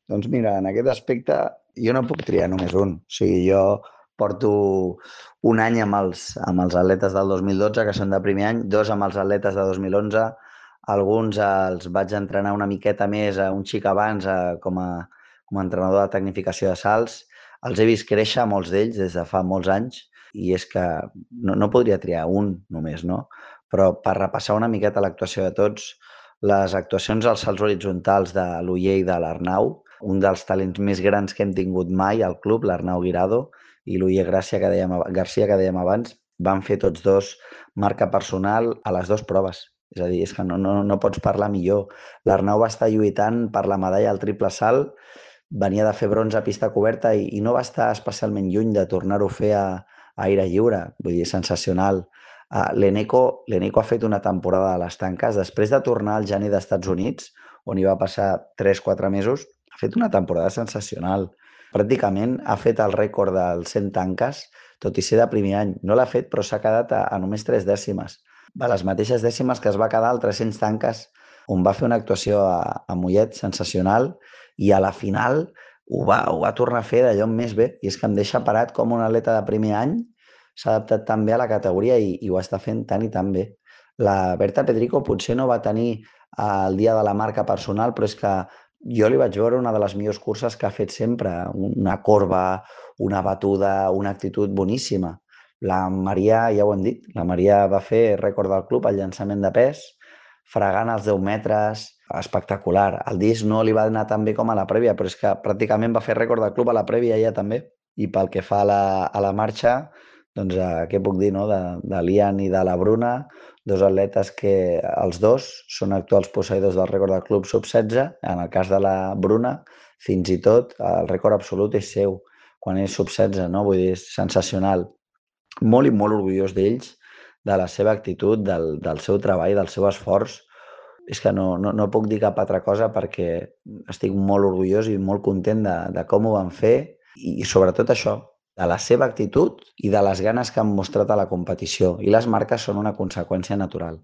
Doncs mira, en aquest aspecte jo no puc triar només un. O sigui, jo porto un any amb els atletes del 2012, que són de primer any, dos amb els atletes de 2011, alguns els vaig entrenar una miqueta més, un xic abans, com a entrenador de tecnificació de salts. Els he vist créixer, molts d'ells, des de fa molts anys, i és que no podria triar un només, no? Però per repassar una miqueta l'actuació de tots, les actuacions als salts horitzontals de l'Oller i de l'Arnau, un dels talents més grans que hem tingut mai al club, l'Arnau Guirado, i l'Oller Garcia, que dèiem abans, van fer tots dos marca personal a les dues proves. És a dir, és que no pots parlar millor. L'Arnau va estar lluitant per la medalla al triple salt, venia de fer bronze a pista coberta i no va estar especialment lluny de tornar-ho a fer a aire lliure. Vull dir, sensacional. L'Eneco ha fet una temporada a les tanques. Després de tornar al gener d'Estats Units, on hi va passar 3-4 mesos, ha fet una temporada sensacional. Pràcticament ha fet el rècord dels 100 tanques, tot i ser de primer any. No l'ha fet, però s'ha quedat a només 3 dècimes. A les mateixes dècimes que es va quedar al 300 tanques, on va fer una actuació a Mollet sensacional, i a la final ho va tornar a fer d'allò més bé. I és que em deixa parat com un atleta de primer any s'ha adaptat tan bé a la categoria i ho està fent tan i tan bé. La Berta Pedrico potser no va tenir el dia de la marca personal, però és que jo li vaig veure una de les millors curses que ha fet sempre, una corba, una batuda, una actitud boníssima. La Maria, ja ho hem dit, la Maria va fer rècord del club al llançament de pes, fregant els 10 metres, espectacular. El disc no li va anar tan bé com a la prèvia, però és que pràcticament va fer rècord del club a la prèvia ja també. I pel que fa a la marxa, doncs què puc dir, no? De l'Ian i de la Bruna, dos atletes que els dos són actuals posseïdors del rècord del club sub-16. En el cas de la Bruna, fins i tot el rècord absolut és seu quan és sub-16, no? Vull dir, és sensacional. Molt i molt orgullós d'ells, de la seva actitud, del seu treball, del seu esforç. És que no puc dir cap altra cosa perquè estic molt orgullós i molt content de com ho van fer i sobretot això, de la seva actitud i de les ganes que han mostrat a la competició. I les marques són una conseqüència natural.